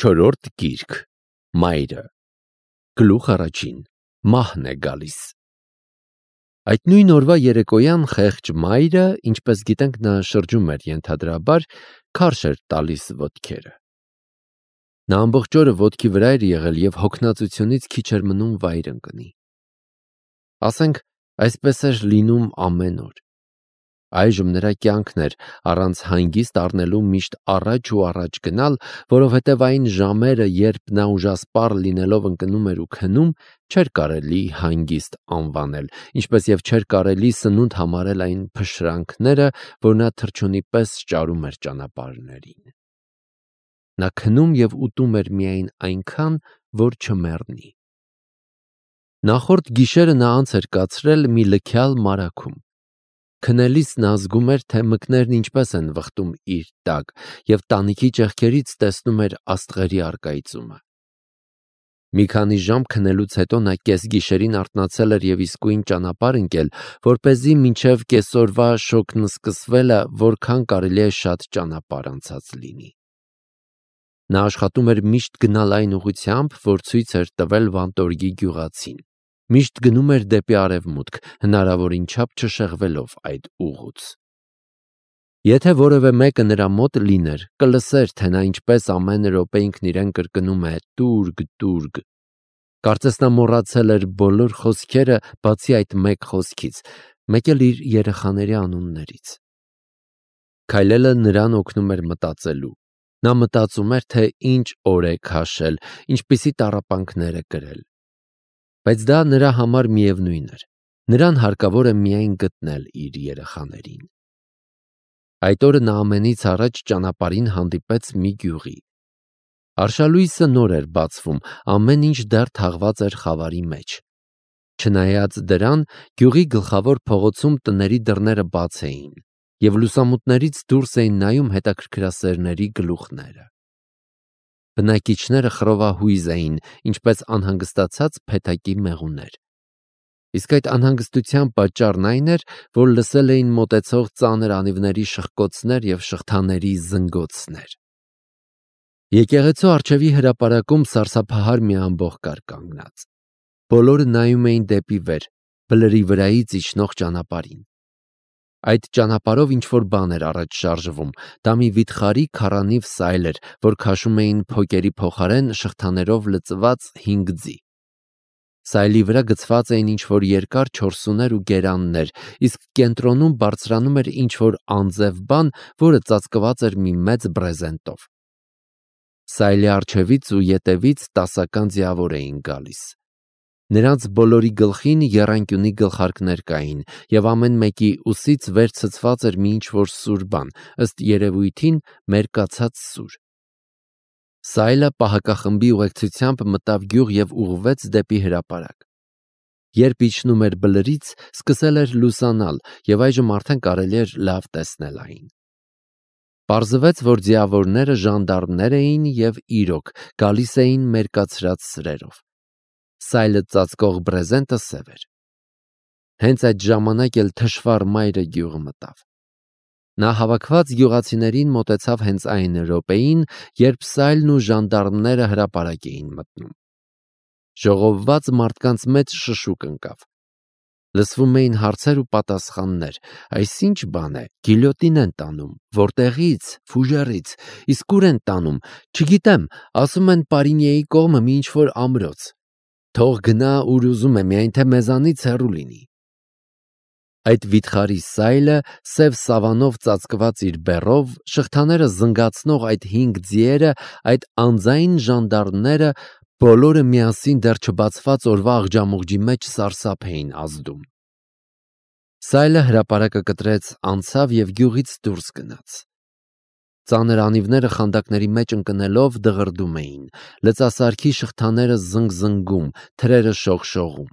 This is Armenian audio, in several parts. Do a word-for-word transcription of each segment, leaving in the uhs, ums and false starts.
Չորրորդ գիրք, Մայրը, գլուխ առաջին, մահն է գալիս։ Այդ նույն օրվա երեկոյան խեղճ մայրը, ինչպես գիտենք, նա շրջում էր ենթադրաբար, քարշ էր տալիս ոտքերը։ Նա ամբողջ օրը ոտքի վրա էր եղել և հոգնածությունից քիչ էր մնում վայր ընկնի։ Ասենք, այսպես էր լինում ամեն օր։ Այժմ նրա կյանքն էր առանց հանգիստ առնելու միշտ առաջ ու առաջ գնալ, որովհետև այն ժամերը, երբ նա ուժասպառ լինելով ընկնում էր ու քնում, չէր կարելի հանգիստ անվանել, ինչպես և չէր կարելի սնունդ համարել այն փշրանքները, որ նա թռչունի պես ճարում էր ճանապարհներին։ Նա քնում և ուտում էր միայն այնքան, որ չմեռնի։ Նախորդ գիշերը նա անց էր կացրել մի լքյալ մարագում։ Քնելիս նա զգում էր, թե մկներն ինչպես են վխտում իր տակ, և տանիքի ճեղքերից տեսնում էր աստղերի առկայծումը։ Մի քանի ժամ քնելուց հետո նա կեսգիշերին արթնացել էր և իսկույն ճանապարհ ընկել, որպեսզի մինչև կեսօրվա շոգն սկսվելը որքան կարելի է շատ ճանապարհ անցած լինի։ Նա աշխատում էր միշտ գնալ այն ուղղությամբ, որ ցույց էր տվել Վանտորգի գյուղացին։ Միշտ գնում էր դեպի արևմուտք, հնարավորին չափ չշեղվելով այդ ուղուց։ Եթե որևէ մեկը նրա մոտ լիներ, կլսեր, թե նա ինչպես ամեն րոպե ինքն իրեն կրկնում է «տուրգ, տուրգ»։ Կարծես նա մոռացել էր բոլոր խոսքերը, բացի այդ մեկ խոսքից, մեկ էլ իր երեխաների անուններից։ Քայլելը նրան օգնում էր մտածելու։ Նա մտածում էր, թե ինչ օր է քաշել, ինչպիսի տառապանքներ է կրել։ Բայց դա նրա համար միևնույն էր։ Նրան հարկավոր է միայն գտնել իր երեխաներին։ Այդ օրը նա ամենից առաջ ճանապարհին հանդիպեց մի գյուղի։ Արշալույսը նոր էր բացվում, ամեն ինչ դեռ թաղված էր խավարի մեջ։ Չնայած դրան, գյուղի գլխավոր փողոցում տների դռները բաց էին, և լուսամուտներից դուրս էին նայում հետաքրքրասերների գլուխները։ Բնակիչները խռովահույզ էին, ինչպես անհանգստացած փեթակի մեղուներ։ Իսկ այդ անհանգստության պատճառն այն էր, որ լսել էին մոտեցող ծանր անիվների շխկոցներ և շղթաների զնգոցներ։ Եկեղեցու առջևի հրապարակում սարսափահար մի ամբոխ կար կանգնած։ Բոլորը նայում էին դեպի վեր, բլրի վրայից իջնող ճանապարհին։ Այդ ճանապարհով ինչ-որ բան էր առաջ շարժվում, դա մի վիթխարի քառանիվ սայլ էր, որ քաշում էին փոկերի փոխարեն շղթաներով լցված հինգ ձի։ Սայլի վրա գցված էին ինչ-որ երկար չորսուներ ու գերաններ, իսկ կենտրոնում բարձրանում էր ինչ-որ անձև բան, որը ծածկված էր մի մեծ բրեզենտով։ Սայլի առջևից ու ետևից տասական ձիավոր էին գալիս։ Նրանց բոլորի գլխին եռանկյունի գլխարկներ կային, և ամեն մեկի ուսից վեր ցցված էր մի ինչ-որ սուր բան, ըստ երևույթին մերկացած սուր։ Սայլը պահակախմբի ուղեկցությամբ մտավ գյուղ և ուղղվեց դեպի հրապարակ։ Երբ իջնում էր բլրից, սկսել էր լուսանալ, և այժմ արդեն կարելի էր լավ տեսնել այն։ Պարզվեց, որ ձիավորները ժանդարմներ էին և իրոք գալիս էին մերկացրած սրերով։ Սայլը ծածկող բրեզենտը սև էր։ Հենց այդ ժամանակ էլ թշվառ մայրը գյուղը մտավ։ Նա հավաքված գյուղացիներին մոտեցավ հենց այն րոպեին, երբ Սայլն ու ժանդարմները հրապարակ էին մտնում։ Ժողովված մարդկանց մեծ շշուկ ընկավ։ Լսվում էին հարցեր ու պատասխաններ. «Այս ի՞նչ բան է, գիլյոտին են տանում, որտեղի՞ց, Ֆուժերից, իսկ ուր են տանում, չգիտեմ, ասում են Պարինիեի կողմը մի ինչ-որ ամրոց, թող գնա ուր ուզում է, միայն թե մեզանից հեռու լինի»։ Այդ վիթխարի Սայլը, սև սավանով ծածկված իր բեռով, շղթաները զնգացնող այդ հինգ ձիերը, այդ անձայն ժանդարմները, բոլորը միասին դեռ չբացված օրվա աղջամուղջի մեջ սարսափ էին ազդում։ Սայլը հրապարակը կտրեց, անցավ և գյուղից դուրս գնաց։ Ծանր անիվները խանդակների մեջ ընկնելով դղրդում էին, լծասարքի շղթաները զնգզնգում, թրերը շողշողում։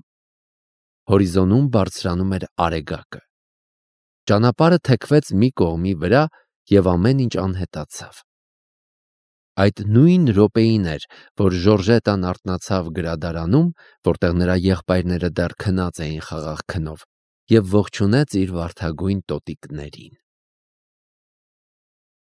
Հորիզոնում բարձրանում էր արեգակը։ Ճանապարհը թեքվեց մի կողմի վրա, և ամեն ինչ անհետացավ։ Այդ նույն րոպեին էր, որ Ժորժետան արթնացավ գրադարանում, որտեղ նրա եղբայրները դեռ քնած էին խաղաղ քնով, և ողջունեց իր վարդագույն տոտիկներին։